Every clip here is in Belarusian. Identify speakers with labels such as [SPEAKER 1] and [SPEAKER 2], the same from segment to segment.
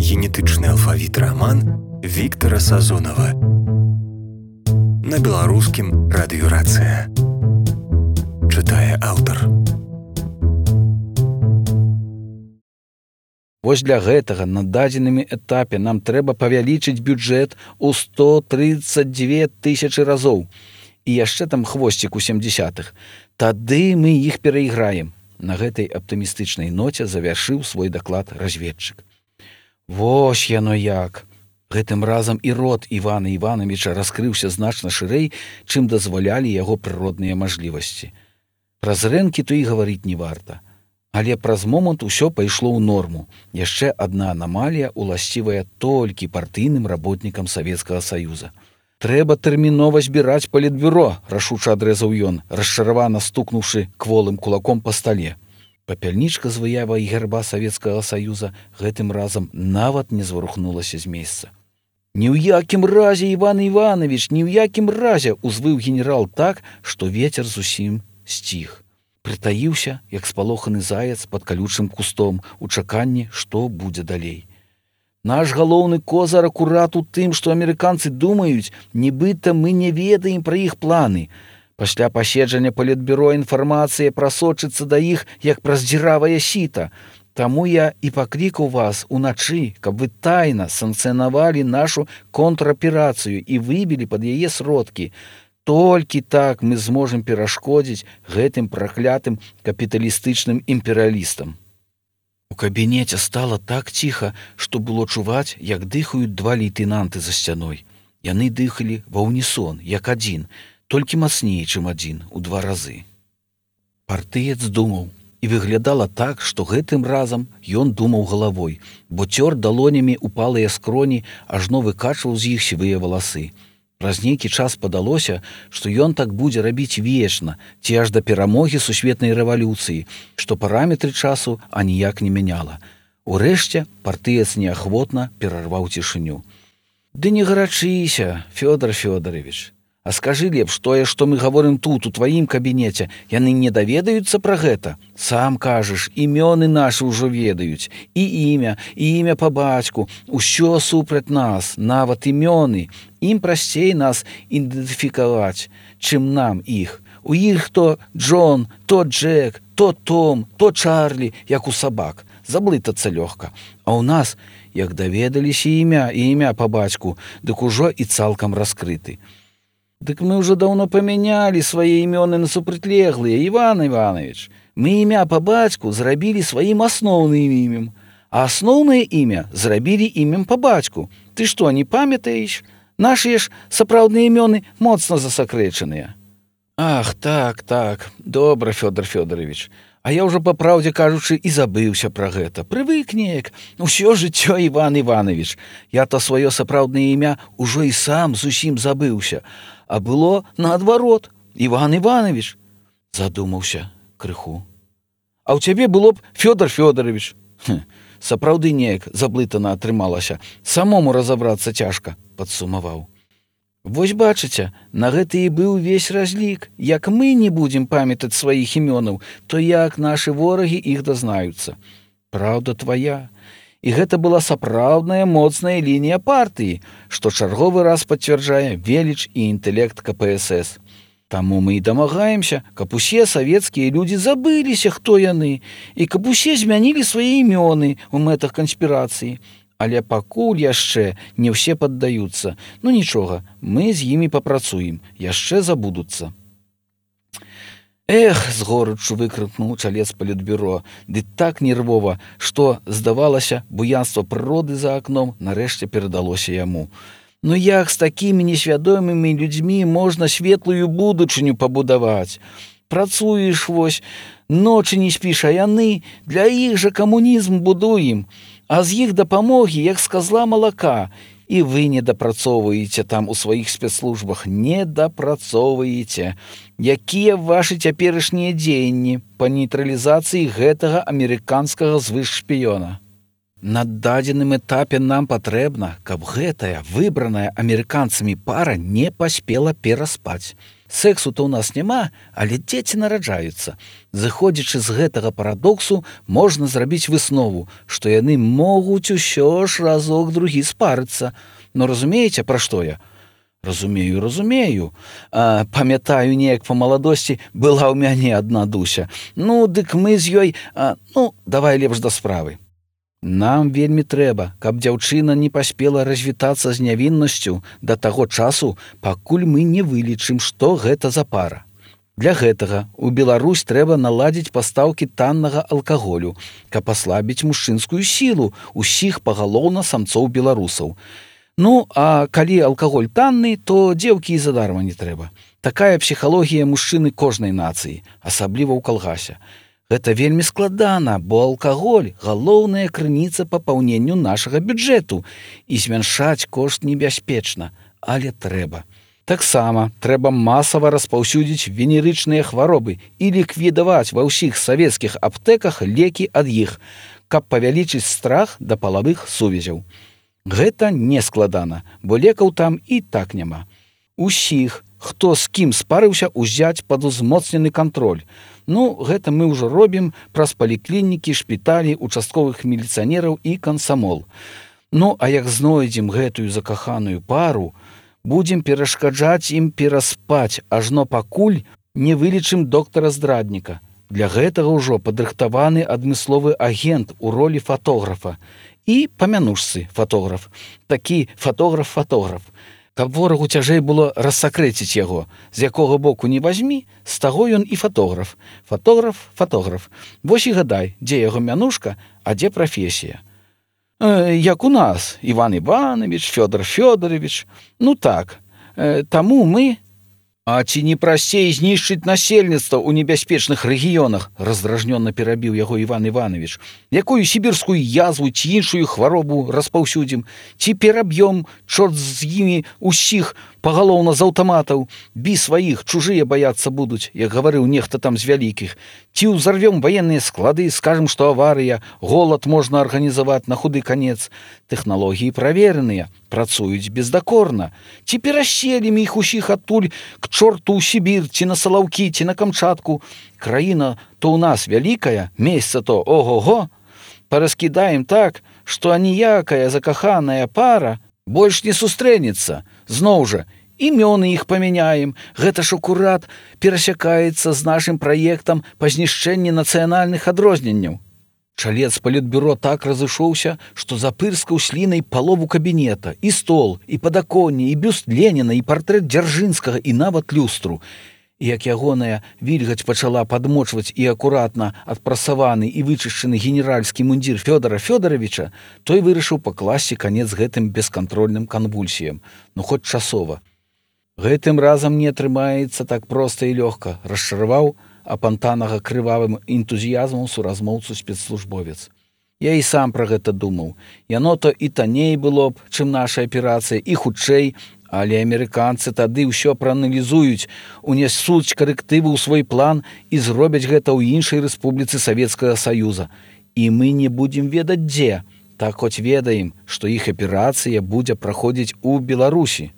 [SPEAKER 1] генетычны алфавіт раман Віктара Сазонава. На беларускім радыёрацыя. Чытае аўтар.
[SPEAKER 2] Вось для гэтага на дадзеным этапе нам трэба павялічыць бюджэт у 132 тысячы разоў. І яшчэ там хвосцік у 70-х. Тады мы іх перайграем. На гэтай аптымістычнай ноце завяршыў свой даклад разведчык. Вось яно як. Гэтым разам і рот Івана Івановича раскрыўся значна шырэй, чым дазвалялі яго прыродныя мажлівасці. Праз рэнкі то і гаварыць не варта. Але праз момант усё пайшло ў норму. Яшчэ адна анамалія, уласцівая толькі партыйным работнікам Савецкага Саюза. Трэба тэрмінова збіраць палітбюро, рашуча адрэзаў ён, расчаравана стукнуўшы кволым кулаком па стале. Папяльнічка з выявай герба Савецкага Саюза гэтым разам нават не зварухнулася з месца. «Ні ў якім разе, Іван Іванович, ні ў якім разе!» узвыў генерал так, што вецер зусім сціх. Прытаіўся, як спалоханы заяц пад калючым кустом, у чаканні, што будзе далей. Наш галоўны козыр акурат у тым, што амерыканцы думаюць, нібыта мы не ведаем пра іх планы. Пасля паседжання палітбюро інфармацыя прасочыцца да іх, як праз дзіравае сіта. Таму я і паклікаў вас уначы, каб вы тайна санкцыянавалі нашу контраперацыю і выбілі пад яе сродкі. Толькі так мы зможам перашкодзіць гэтым праклятым капіталістычным імперыялістам. У кабінеце стала так ціха, што было чуваць, як дыхаюць два лейтэнанты за сцяной. Яны дыхалі ва ўнісон, як адзін, толькі мацней, чым адзін, у 2 разы. Партыец думаў, і выглядала так, што гэтым разам ён думаў галавой, бо цёр далонямі упалыя скроні, ажно выкачваў з іх сівыя валасы. Праз нейкі час падалося, што ён так будзе рабіць вечна, ці аж да перамогі сусветнай рэвалюцыі, што параметры часу аніяк не мяняла. Урэшце партыец неахвотна перарваў цішыню. «Ды не гарачыся, Фёдор Фёдорович. А скажы лепш тое, што мы гаворым тут, у тваім кабінеце, яны не даведаюцца пра гэта? Сам кажаш, імёны нашы ўжо ведаюць. І імя па бацьку. Усё супраць нас, нават імёны. Ім прасцей нас ідэнтыфікаваць, чым нам іх. У іх то Джон, то Джек, то Том, то Чарлі, як у сабак. Заблытацца лёгка. А ў нас, як даведаліся імя па бацьку, дык ужо і цалкам раскрыты. Дык мы ўжо даўно памянялі свае імёны на супрацьлеглыя, Іван Іванович. Мы імя па бацьку зрабілі сваім асноўным імем, а асноўнае імя зрабілі імем па бацьку. Ты што, не памятаеш? Нашыя ж сапраўдныя імёны моцна засакрэчаныя». «Ах, так, добра, Фёдор Фёдорович. А я ўжо, па праўдзе кажучы, і забыўся пра гэта. Прывык неяк. Усё жыццё, Іван Іванович. Я то сваё сапраўднае імя ўжо і сам зусім забыўся. А было наадварот. Іван Іванович». Задумаўся крыху. «А ў цябе было б Фёдор Фёдорович». Сапраўды неяк заблытана атрымалася. Самому разабрацца цяжка, падсумаваў. «Вось бачыце, на гэта і быў увесь разлік. Як мы не будзем памятаць сваіх імёнаў, то як нашы ворагі іх дазнаюцца. Праўда твая. І гэта была сапраўдная моцная лінія партыі, што чарговы раз пацвярджае веліч і інтэлект КПСС. Таму мы і дамагаемся, каб усе савецкія людзі забыліся, хто яны, і каб усе змянілі свае імёны ў мэтах канспірацыі. Але пакуль яшчэ не ўсе паддаюцца. Ну нічога, мы з імі папрацуем, яшчэ забудуцца». «Эх!» — з горыччу выкрыкнуў чалец палітбюро, ды так нервова, што, здавалася, буянства прыроды за акном нарэшце перадалося яму. «Ну як з такімі несвядомымі людзьмі можна светлую будучыню пабудаваць? Працуеш вось, ночы не спіш, а яны для іх жа камунізм будуем. А з іх дапамогі, як з казла малака. І вы не дапрацоўваеце там у сваіх спецслужбах, не дапрацоўваеце. Якія вашы цяперашнія дзеянні па нейтралізацыі гэтага амерыканскага звышшпіёна?» На дадзеным этапе нам патрэбна, каб гэтая выбраная амерыканцамі пара не паспела пераспаць. Сэксу-то ў нас няма, але дзеці нараджаюцца. Зыходзячы з гэтага парадоксу, можна зрабіць выснову, што яны могуць усё ж разок другі спарыцца. Но разумееце, пра што я? Разумею. Памятаю, неяк па маладосці была ў мяне адна Дуся. Ну, дык мы з ёй... давай лепш да справы. Нам вельмі трэба, каб дзяўчына не паспела развітацца з нявіннасцю да таго часу, пакуль мы не вылічым, што гэта за пара. Для гэтага ў Беларусь трэба наладзіць пастаўкі таннага алкаголю, каб аслабіць мужчынскую сілу ўсіх пагалоўна самцоў-беларусаў. А калі алкаголь танны, то дзеўкі і задарма не трэба. Такая псіхалогія мужчыны кожнай нацыі, асабліва ў калгасе. Гэта вельмі складана, бо алкаголь – галоўная крыніца папаўненню нашага бюджэту, і змяншаць кошт небяспечна, але трэба. Таксама трэба масава распаўсюдзіць венерычныя хваробы і ліквідаваць ва ўсіх савецкіх аптэках лекі ад іх, каб павялічыць страх да палавых сувязяў. Гэта не складана, бо лекаў там і так няма. Усіх, хто з кім спарыўся, узяць пад узмоцнены кантроль. Гэта мы ўжо робім праз паліклінікі, шпіталі, участковых міліцыянераў і камсамол. Як знойдзем гэтую закаханую пару, будзем перашкаджаць ім пераспаць, ажно пакуль не вылічым доктара-здрадніка. Для гэтага ўжо падрыхтаваны адмысловы агент у ролі фатографа і па мянушцы фатограф. Такі фатограф-фатограф. Каб ворагу цяжэй было рассакрэціць яго, з якога боку не вазьмі, з таго ён і фатограф. Фатограф. Вось і гадай, дзе яго мянушка, а дзе прафесія. Як у нас, Іван Іванович, Фёдор Фёдорович. Таму мы... А ці не прасцей знішчыць насельніцтва ў небяспечных рэгіёнах, раздражнёна перабіў яго Іван Іванович. Якую сібірскую язву ці іншую хваробу распаўсюдзім, ці пераб'ём, чорт з імі, усіх пагалоўна з аўтаматаў, бі сваіх, чужыя баяцца будуць, як гаварыў нехта там з вялікіх. Ці ўзарвём ваенныя склады, скажам, што аварыя, голад можна арганізаваць на худы канец. Тэхналогіі правераныя, працуюць бездакорна. Ці пераселім іх усіх адтуль к чорту ў Сібір, ці на Салаўкі, ці на Камчатку. Краіна то ў нас вялікая, месца то ого-го. Параскідаем так, што аніякая закаханая пара больш не сустрэнецца. Зноў жа, імёны іх памяняем. Гэта ж акурат перасякаецца з нашым праектам па знішчэнні нацыянальных адрозненняў. Чалец палітбюро так разышоўся, што запырскаў слінай палову кабінета, і стол, і падаконне, і бюст Леніна, і партрэт Дзяржынскага, і нават люстру. І як ягоная вільгаць пачала падмочваць і акуратна адпрасаваны і вычышчаны генеральскі мундзір Фёдора Фёдоровича, той вырашыў пакласці канец гэтым бескантрольным канвульсіям, хоць часова. Гэтым разам не атрымаецца так проста і лёгка, расчараваў апантанага крывавым энтузіязмам суразмоўцу спецслужбовец. Я і сам пра гэта думаў. Яно-то і танней было б, чым наша аперацыя, і хутчэй, але амерыканцы тады ўсё прааналізуюць, унясуць карэктывы ў свой план і зробяць гэта ў іншай рэспубліцы Савецкага Саюза. І мы не будзем ведаць дзе, так хоць ведаем, што іх аперацыя будзе праходзіць у Беларусі.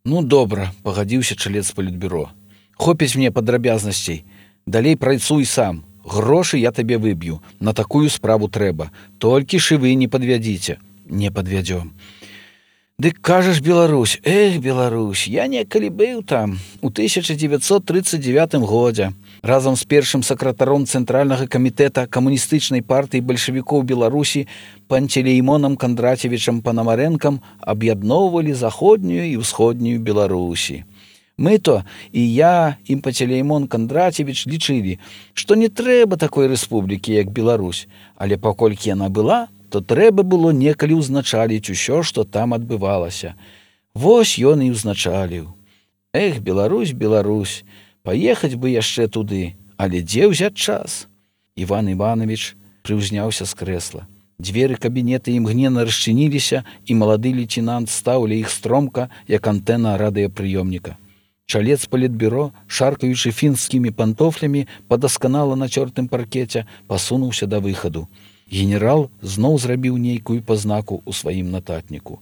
[SPEAKER 2] Добра, пагадзіўся чалец палітбюро. Хопіць мне падрабязнасцей. Далей працуй сам. Грошы я табе выб'ю. На такую справу трэба. Толькі ж і вы не падвядзіце. Не падвядзём. Дык кажаш, Беларусь, Беларусь, я некалі быў там у 1939 годзе. Разам з першым сакратаром Цэнтральнага камітэта камуністычнай партыі бальшавікоў Беларусі Пантелеймонам Кандрацевічам Панамарэнкам аб'ядноўвалі заходнюю і ўсходнюю Беларусі. Мы-то, і я, і Пантелеймон Кандрацевіч лічылі, што не трэба такой рэспублікі, як Беларусь, але паколькі яна была, то трэба было некалі ўзначаліць усё, што там адбывалася. Вось ён і ўзначаліў. Беларусь, Беларусь, паехаць бы яшчэ туды, але дзе ўзяць час? Іван Іванович прыўзняўся з крэсла. Дзверы кабінета імгненна расчыніліся, і малады лейтенант стаў ля іх стромка, як антэна радыёпрыёмніка. Чалец палітбюро, шаркаючы фінскімі пантофлямі па дасканала нацёртым паркеце, пасунуўся да выхаду. Генерал зноў зрабіў нейкую пазнаку ў сваім нататніку.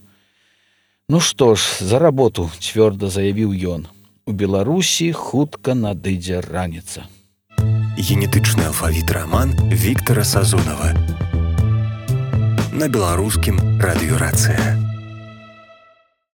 [SPEAKER 2] Ну што ж, за работу, цвёрда заявіў ён. У Беларусі хутка надыдзе раніца.
[SPEAKER 1] Генетычны алфавіт раман Віктара Сазонава. На беларускім радыёрацыя.